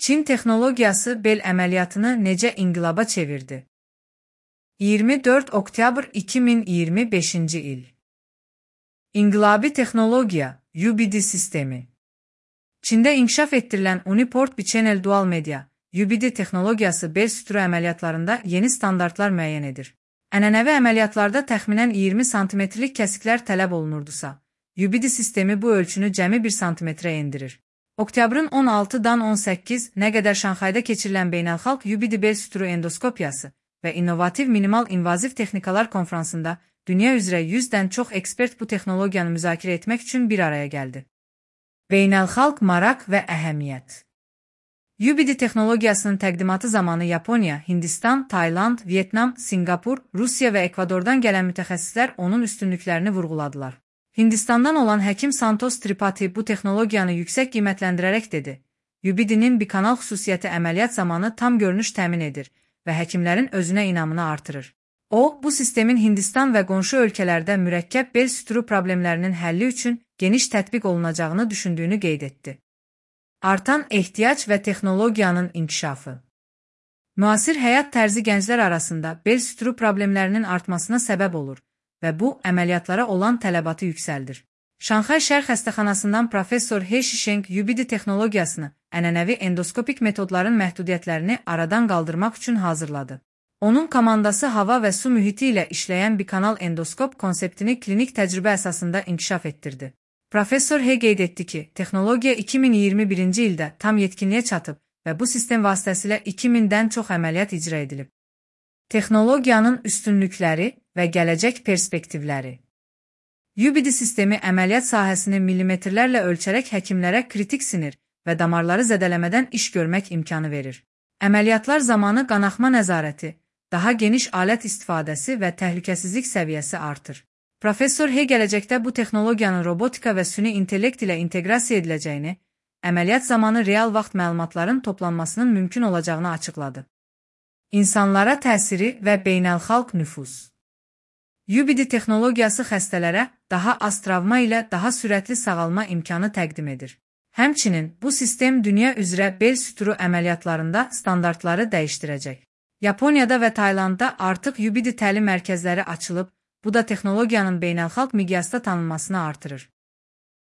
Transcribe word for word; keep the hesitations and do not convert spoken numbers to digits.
Çin texnologiyası bel əməliyyatını necə inqilaba çevirdi? iyirmi dörd oktyabr iki min iyirmi beşinci il. İnqilabi texnologiya, U B D sistemi. Çində inkişaf etdirilən Uniport Bichannel Dual Media, U B D texnologiyası bel süturu əməliyyatlarında yeni standartlar müəyyən edir. Ənənəvi əməliyyatlarda təxminən iyirmi santimetrlik kəsiklər tələb olunurdusa, U B D sistemi bu ölçünü cəmi bir santimetrə endirir. Oktyabrın on altıdan on səkkiz nə qədər Şanxayda keçirilən beynəlxalq U B D bel süturu endoskopiyası və innovativ minimal invaziv texnikalar konfransında dünya üzrə yüzdən çox ekspert bu texnologiyanı müzakirə etmək üçün bir araya gəldi. Beynəlxalq maraq və əhəmiyyət. U B D texnologiyasının təqdimatı zamanı Yaponiya, Hindistan, Tayland, Vyetnam, Singapur, Rusiya və Ekvadordan gələn mütəxəssislər onun üstünlüklərini vurğuladılar. Hindistandan olan həkim Santosh Tripathi bu texnologiyanı yüksək qiymətləndirərək dedi: U B D-nin bikanal xüsusiyyəti əməliyyat zamanı tam görünüş təmin edir və həkimlərin özünə inamını artırır. O, bu sistemin Hindistan və qonşu ölkələrdə mürəkkəb bel süturu problemlərinin həlli üçün geniş tətbiq olunacağını düşündüyünü qeyd etdi. Artan ehtiyac və texnologiyanın inkişafı. Müasir həyat tərzi gənclər arasında bel süturu problemlərinin artmasına səbəb olur və bu, əməliyyatlara olan tələbatı yüksəldir. Şanxay Şərq xəstəxanasından professor He Shisheng U B D texnologiyasını, ənənəvi endoskopik metodların məhdudiyyətlərini aradan qaldırmaq üçün hazırladı. Onun komandası hava və su mühiti ilə işləyən bikanal endoskop konseptini klinik təcrübə əsasında inkişaf etdirdi. Professor He qeyd etdi ki, texnologiya iki min iyirmi birinci ildə tam yetkinliyə çatıb və bu sistem vasitəsilə iki mindən çox əməliyyat icra edilib. Texnologiyanın üstünlükləri və gələcək perspektivləri. U B D sistemi əməliyyat sahəsini millimetrlərlə ölçərək həkimlərə kritik sinir və damarları zədələmədən iş görmək imkanı verir. Əməliyyatlar zamanı qanaxma nəzarəti, daha geniş alət istifadəsi və təhlükəsizlik səviyyəsi artır. Professor He gələcəkdə bu texnologiyanın robotika və süni intellekt ilə inteqrasiya ediləcəyini, əməliyyat zamanı real vaxt məlumatların toplanmasının mümkün olacağını açıqladı. İnsanlara təsiri və beynəlxalq nüfuz. U B D texnologiyası xəstələrə daha az travma ilə daha sürətli sağalma imkanı təqdim edir. Həmçinin, bu sistem dünya üzrə bel süturu əməliyyatlarında standartları dəyişdirəcək. Yaponiyada və Taylandda artıq U B D təlim mərkəzləri açılıb, bu da texnologiyanın beynəlxalq miqyasda tanınmasını artırır.